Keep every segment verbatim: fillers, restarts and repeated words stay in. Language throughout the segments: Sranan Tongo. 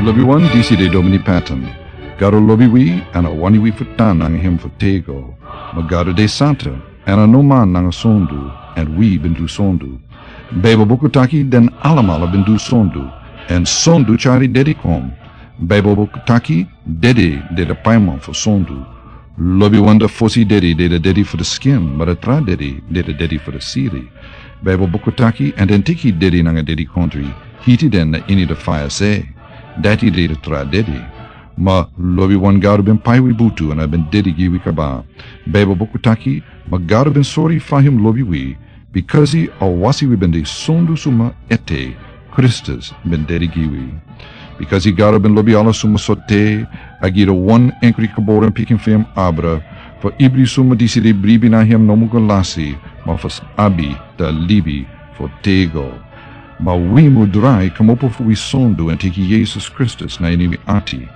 Lobi wan, disi de Domini Patton. Gado lobi wi, èn a wani wi fu tan nanga hem fu tego. Ma Gado de santa, èn a no man nanga sondu, èn wi ben du sondu. Baibel buku taki den alamala ben du sondu, èn sondu tyari dedi kon. Baibel buku taki dedi de de paiman fu sondu. Lobi wan, de fosi dedi de de dedi fu de skin, ma de tra dedi de de dedi fu de siri. Baibel buku taki, èn den teki dedi nanga dedikondre, hiti den na ini de faya se. Dati de de tra dedi. Ma lobi wan, Gado ben pai wi butu èn a ben dedi gi wi kaba. Baibel buku taki, ma Gado ben sori fa hem lobi wi, bikasi a wasi wi ben de sondu suma ete, Kristus ben dedi gi wi. Bikasi Gado ben lobi ala suma sortu, a gi de wan enkri geboren pikin fu hem abra, fu ibri suma disi de bribi na hem no mu go lasi, ma fu abi da libi fu tego. Ma wi mu drai kmopo fu wi sondu èn teki Yesus Kristus na ini wi ati.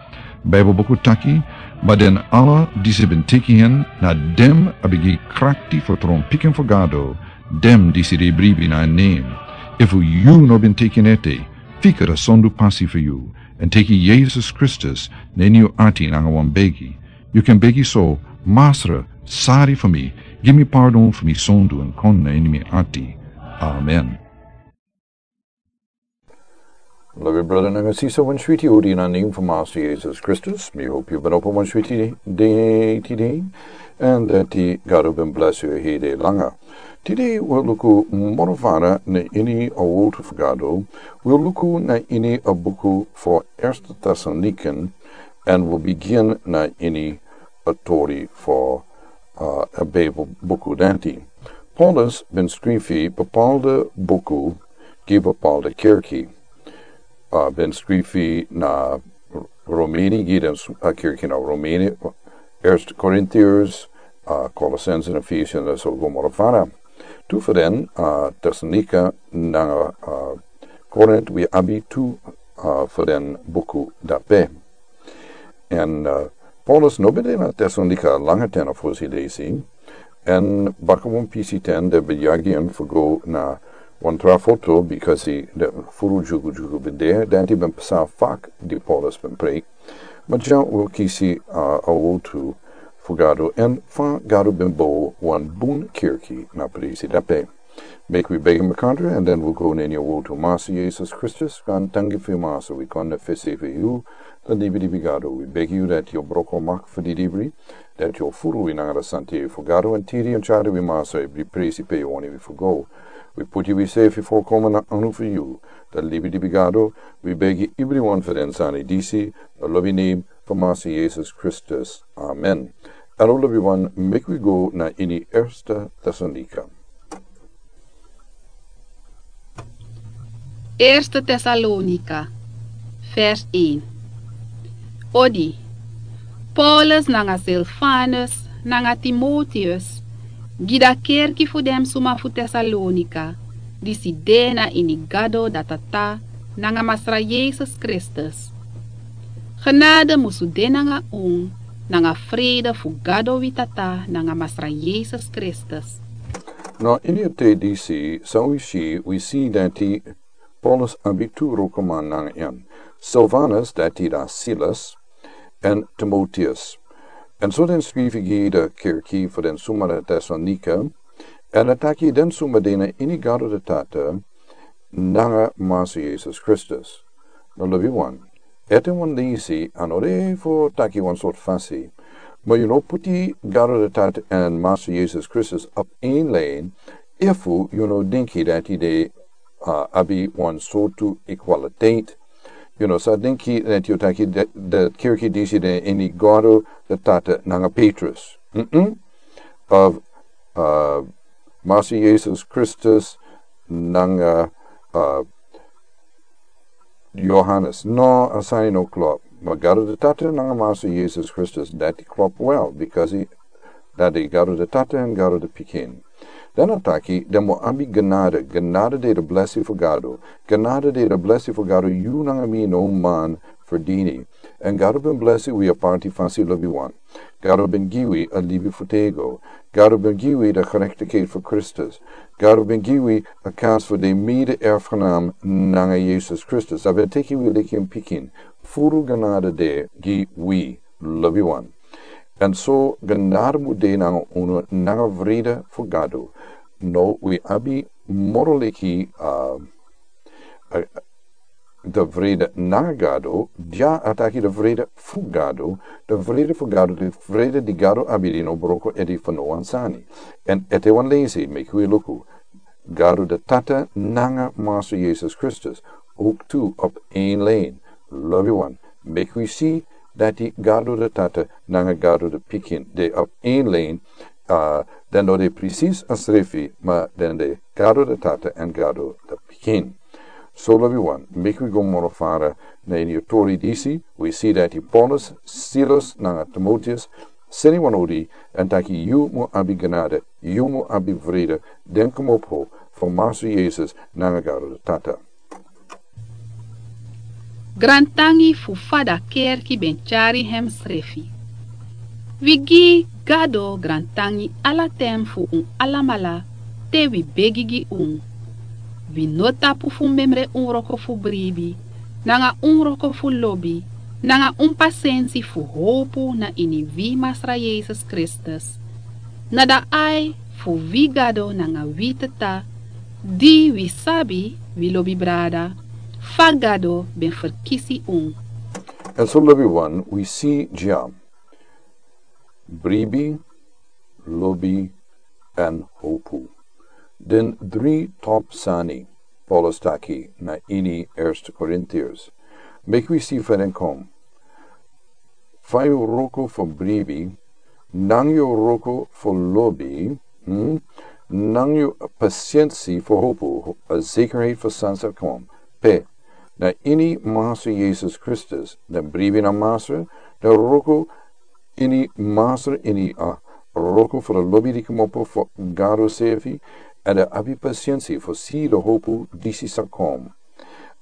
Baibel buku taki, ma den ala disi ben teki hen, na dem a ben gi krakti fu tron pikin fu Gado, dem disi de bribi na nen. Efu yu no ben teki en ete, fika da sondu pasi fu yu, èn teki Yesus Kristus na ini yu ati nanga wan begi. Yu kan begi so, Masra, sari fu mi, gi mi pardon fu mi sondu èn kon na ini mi ati. Amen. Lobi brada nanga sisa, wan switi odi na nen fu Masra Yesus Kristus. Mi hopu yu ben opo wan switi dei tide, èn dati Gado ben blesi yu hede langa. Tide wi o luku moro fara na ini a wotu fu Gado. Wi o luku na ini a buku fu Erste Tesalonikan, èn wi o bigin na ini a tori fu, uh, a Baibel buku dati. Paulus ben skrifi bepaalde buku gi bepaalde kerki. Uh, ben skrifi na Romeni, gi den s-, uh, kerki na Romeni, Eerste Korintiërs, uh, Colossense, Efesiërs, èn so go moro fara. Tu fu den, uh, Tesalonika nanga, uh, Korint, wi abi tu, uh, fu den buku dape. Èn, uh, Paulus no ben de na Tesalonika langa ten na fosi leisi. Èn baka wan pisi ten den ben yagi en fu go na wan tra foto, bikasi den furu dyugudyugu ben de, dati ben pasa fak di Paulus ben preiki. Ma dya wi o kisi, uh, a wotu fu Gado èn fa Gado ben bow wan bun kerki na presi dape. Meki wi begi makandra, èn den wi o go na ini a wotu. Masra Yesus Kristus, grantangi fu yu Masra, wi kon na fesi fu yu, da libi libi Gado. Wi begi yu dati yu o broko mak fu di libri, dati yu o furu wi nanga da santei fu Gado, èn tiri èn tyari wi Masra, ibri presi pe yu wani wi fu go. Wi puti wi sefi fu kon na anu fu yu, da libi libi Gado. Wi begi ibri wan fu den sani disi, da lobi nen fu Masra Yesus Kristus. Amen. Alo lobi wan, meki wi go na ini Erste Tesalonika. Eerste Tesalonika, vers een. Odi, Paulus nanga Silvanus nanga Timoteus, gi da kerki fu den suma fu Tesalonika, disi de na ini Gado da Tata nanga Masra Yesus Kristus. Genade musu de nanga un, nanga frede fu Gado wi Tata nanga Masra Yesus Kristus. Na ini a te disi, san wi si, wi si dati Paulus abi tu wrokoman nanga en. Silvanus, dati da Silas, èn Timoteus. Èn so den skrifi gi da kerki fu den suma na Tesalonika, èn a taki den suma de na ini Gado da Tata nanga Masra Yesus Kristus. Na lobi wan. Ete wan leisi, a no de fu taki wan sortu fasi. Ma yu no puti Gado da Tata èn Masra Yesus Kristus op een lijn, efu yu no denki dati de, uh, abi wan sortu equaliteit. Yu no sa denki dati yu taki de, de kerki disi de ini Gado da Tata nanga Petrus. Mm-mm. Of, uh, Masra Yesus Kristus nanga, uh, Johannes. No, a sani no klop. Ma Gado da Tata nanga Masra Yesus Kristus, dati klop wel, bikasi dati Gado da Tata èn Gado da Pikin. Dan a taki, den mu abi genade, genade de da blesi fu Gado. Genade de da blesi fu Gado, yu nanga mi no man ferdini. Èn Gado ben blesi wi a parti fasi lobi wan. Gado ben gi wi a libi fu tego. Gado ben gi wi de gerechtigheid fu Kristus. Gado ben gi wi a kans fu de mede-erfgenaam nanga Yesus Kristus. A ben teki wi leki en pikin. Furu genade de gi wi, lobiwan. En so genade mu de nanga unu nanga vrede fu Gado. No, wi abi moro leki, uh, uh, de vrede nanga Gado, dia a taki de vrede fu Gado, de vrede fu Gado, de vrede di Gado abi di no broko edi fu no wan sani. En ete wan leisi, meki wi luku. Gado de Tata nanga Master Yesus Kristus, ook tu op één lijn. Lobiwan, meki wi si dati Gado de Tata nanga Gado de Pikin de op één lijn, uh, den no de precies a srefi, ma den de Gado de Tata en Gado de Pikin. So lobiwan, meki wi go moro fara na ini tori disi, wi si dati Paulus, Silas nanga Timoteus, seni wan odi, en taki yu mu abi genade, yu mu abi vrede, den komopo fu Master Yesus nanga Gado de Tata. Grantangi fu fa da kerki ben tyari hem srefi. Wi gi Gado grantangi ala ten fu un alamala te wi begi gi un. Wi no tapu fu memre un wroko fu bribi, nanga un wroko fu lobi, nanga un pasensi fu howpu na ini wi Masra Yesus Kristus. Na da ai fu wi Gado nanga wi Tata, di wi sabi, wi lobi brada, fa Gado ben ferkisi un. En so lobiwan, wi si dya. Bribi, lobi, en howpu. Den dri top sani, Paulus taki na ini Eerste Korintiërs. Meki wi si fa den kon. Fa yu wroko fu bribi, nanga yu wroko fu lobi, hmm? Nanga yu pasensi fu howpu, a zekerheid fu san sa kon. Pe, na ini Master Yesus Kristus, den bribi na Master, den wroko ini Master ini a wroko fu da lobi di komopo fu Gado srefi, en da abi pasensi fu si da howpu disi sa kon.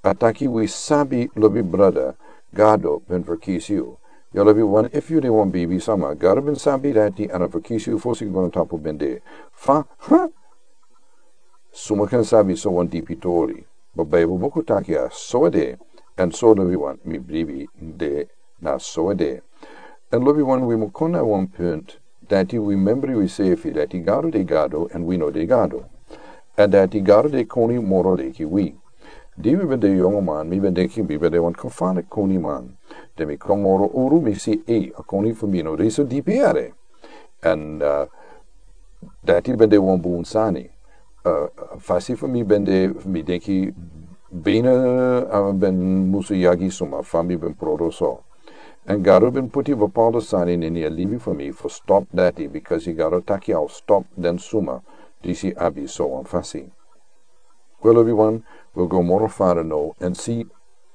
A taki wi sabi lobi brada, Gado ben ferkisi yu. Ya lobiwan, efu yu de wan bribi sama, Gado ben sabi dati, en a ferkisi yu fosi yu go na tapu ben de. Fa, ha? Suma kan sabi so wan dipi tori. Ma Bijbel buku taki a so a de, en so lobiwan, mi bribi de na so a de. En lobiwan, wi mu kon na wan punt, dati wi membri wi srefi, dati Gado de Gado, en wi no de Gado. En dati Gado de koni moro leki wi. Di mi ben de yongu man, mi ben denki mi ben de wan kofana koni man. Den mi kon moro uru, mi si, ei, a koni fu mi no de so dipi yere. En, uh, dati ben de wan bun sani. Uh, fasi fu mi ben de, mi denki bina, uh, ben musu yagi suma, fa mi ben prodro so. En Gado ben puti bepaalde sani na ini a libi fu mi fu stop dati, because Gado taki a o stop den suma disi abi so wan fasi. Wel, lobiwan, wi go moro fara no, en si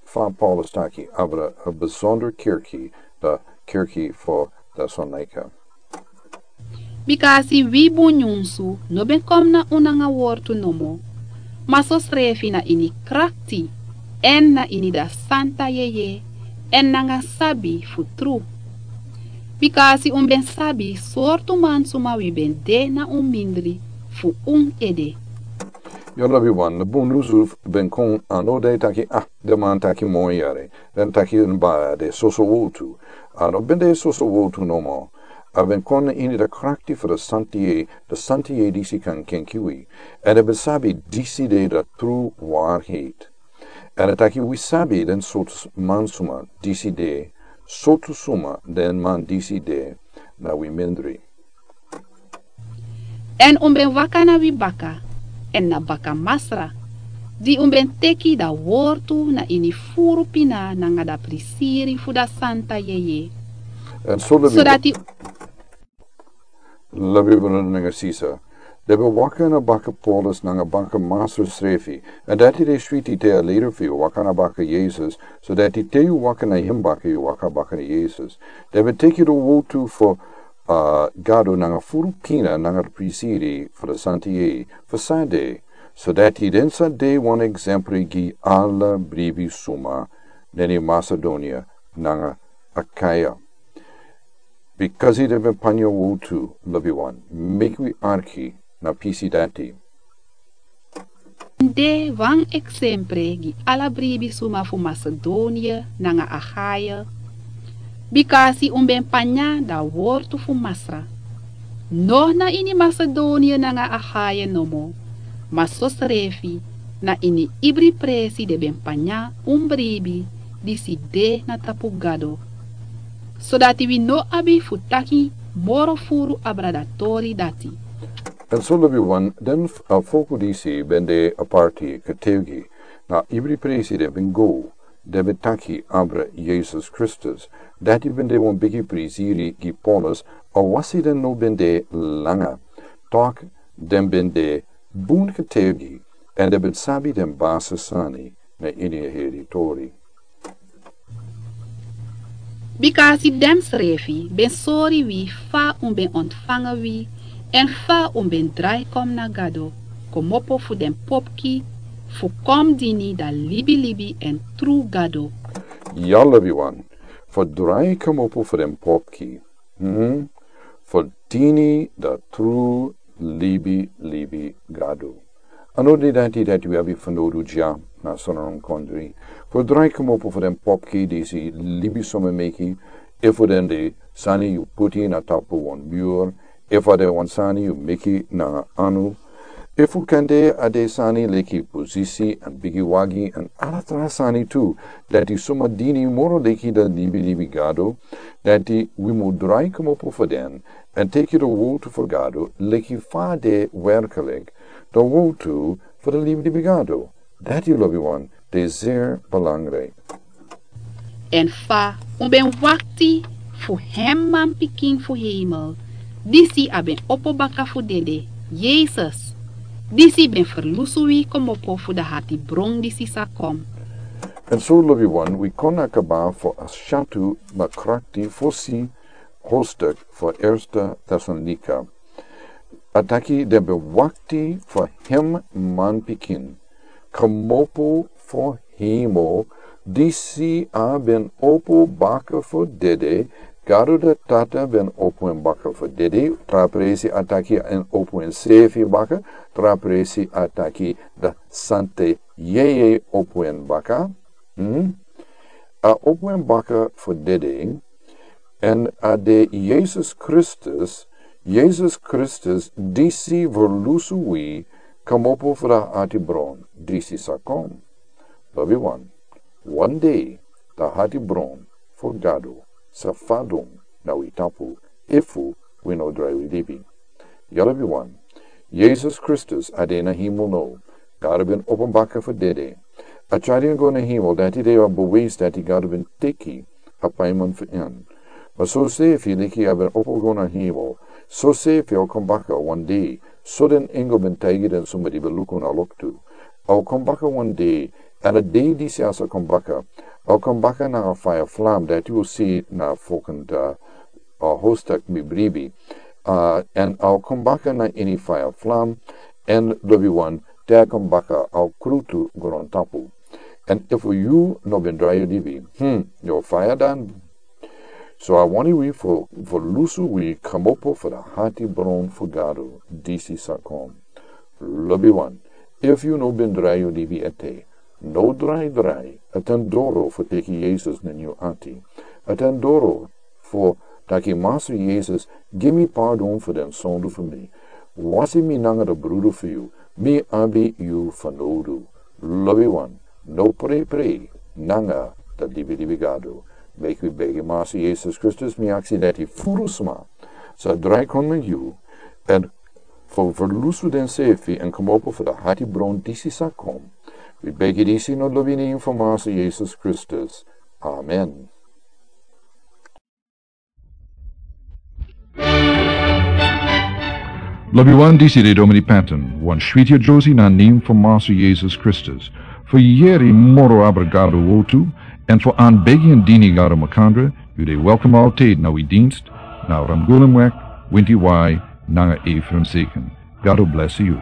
fa Paulus taki abra a besonder kerki, da kerki fu Tesalonika. Bikasi wi bun nyunsu no ben kon na un nanga wortu nomo, ma sosrefi na ini krakti, en na ini da santa yeye, en nanga sabi fu tru. Bikasi un ben sabi sortu man suma wi ben de na un mindri fu un ede. Ya lobiwan, na bun nyunsu ben kon, a no de taki, ah, den man taki moi yere, den taki en ba de soso wortu. A no ben de soso wortu nomo. A ben kon na ini da krakti fu da santa yeye, da santa yeye disi kan kenki wi. En a ben sabi disi de da tru waarheid. En a taki wi sabi den sortu man suma disi de, sortu suma den man disi de na wi mindri. En un ben waka na wi baka, en na baka Masra, di un ben teki da wortu na ini furu pina nanga da prisiri fu da santa yeye. En so lobi, sodati lobi brada nanga sisa, den ben waka na baka Paulus nanga baka Master srefi, en dati de switi te a leider fu yu waka na baka Yesus, sodati te yu waka na hem baka yu waka baka na Yesus. Den ben teki da wortu fu, uh, Gado nanga furu pina nanga da prisiri fu da santa yeye fu san de, sodati den sa de wan eksempel gi ala bribi suma na ini Macedonia nanga Achaia. Bikasi den ben panya wowtu, lobiwan, meki wi arki na pisi dati. De wan eksempre gi ala bribi suma fu Macedonia nanga Achaia. Bikasi un ben panya da wortu fu Masra. No na ini Macedonia nanga Achaia nomo, ma sosrefi na ini ibri presi den ben panya un bribi disi de na tapu Gado. Sodati wi no abi fu taki moro furu abra da tori dati. Èn so lobiwan, den f-, a folku disi ben de aparti, kategi, na ibri presi den ben go, den ben taki abra Yesus Kristus. Dati ben de wan bigi prisiri gi Paulus, awasi den no ben de langa. Tok, den ben de bun kategi, èn den ben sabi den basi sani na ini a heri tori. Bikasi densrefi ben sori wi fa un ben ontfanga wi, èn fa un ben drai kon na Gado, komopo fu den popki, fu kon dini da libilibi èn tru Gado. Ya lobiwan, fu drai komopo fu den popki. Hmm? Fu dini da tru libilibi Gado. A no de dati dati wi abi fanowdu dya na Sranan kondre. Fu drai komopo fu den popki disi libisma meki, efu den de sani yu puti na tapu wan mur, efu a de wan sani yu meki na anu, efu kande a de sani leki posisi èn bigi wagi èn ala tra sani tu, dati suma dini moro leki da libilibi Gado, dati wi mu drai komopo fu den, èn teki da wowtu fu Gado, leki fa a de werkelik, da wowtu fu da libilibi Gado. Dati lobiwan, de zeer belangrijk. Èn fa un ben wakti fu hem manpikin fu hemel, disi a ben opo baka fu dede, Yesus, disi ben ferlusu wi komopo fu da hatibron disi sa kon. Èn so lobiwan, wi kon na kaba fu a syatu makrakti fosi hoofdstuk fu Eerste Tesalonika. A taki den ben wakti fu hem manpikin komopo fu hemel, disi a ben opo baka fu dede, Gado da Tata ben opo en baka fu dede, tra presi a taki en opo ensefi baka, tra presi a taki da Santa Yeye opo en baka. Hmm? A opo en baka fu dede, èn a de Yesus Kristus, Yesus Kristus disi ferlusu wi komopo fu da hatibron disi sa kon. Lobiwan, wan dei da hatibron fu Gado sa fadon na wi tapu efu wi no drai wi libi. Ya lobiwan, Yesus Kristus a de na hemel now. Gado ben opo en baka fu dede. A tyari en go na hemel, dati de a bewijs dati Gado ben teki a paiman fu en. Ma sosefi leki a ben opo go na hemel, sosefi a o kon baka wan dei, so den engel ben taigi den suma di ben luku na loktu. A o kon baka wan dei, èn a dei disi a sa kon baka, a o kon baka na a faya flam, dati wi o si na folgende a hoofdstuk mi bribi. A, èn a o kon baka na ini faya flam, èn lobiwan, te a kon baka a o krutu grontapu. Èn efu yu no ben drai yu libi, hmm, yu o faya dan. So a wani wi fu, fu ferlusu wi komopo fu da hatibron fu Gado disi sa kon. Lobiwan, efu yu no ben drai yu libi ete, no drai drai, a tan doro fu teki Yesus na yu ati. A tan doro fu taki Masra Yesus, gi mi pardon fu den sondu fu mi. Wasi mi nanga da brudu fu yu, mi abi yu fanowdu. Lobiwan, no preiprei nanga da libilibi Gado. Meki wi begi Masra Yesus Kristus, mi aksi dati furu sma sa drai kon na yu, èn fu ferlusu densefi èn komopo fu da hatibron disi sa kon. Wi begi disi na lobi nen fu Masra Yesus Kristus. Amen. Lobiwan, disi de Domini Patton, wan switi yeye na nen fu Masra Yesus Kristus. Fu yere moro abra Gado wowtu, èn fu anbegi èn dini Gado makandra, yu de welkom altijd na wi dienst, na Ramgulumweg, winti wai, nanga Ephraim Seken. Gado blesi yu.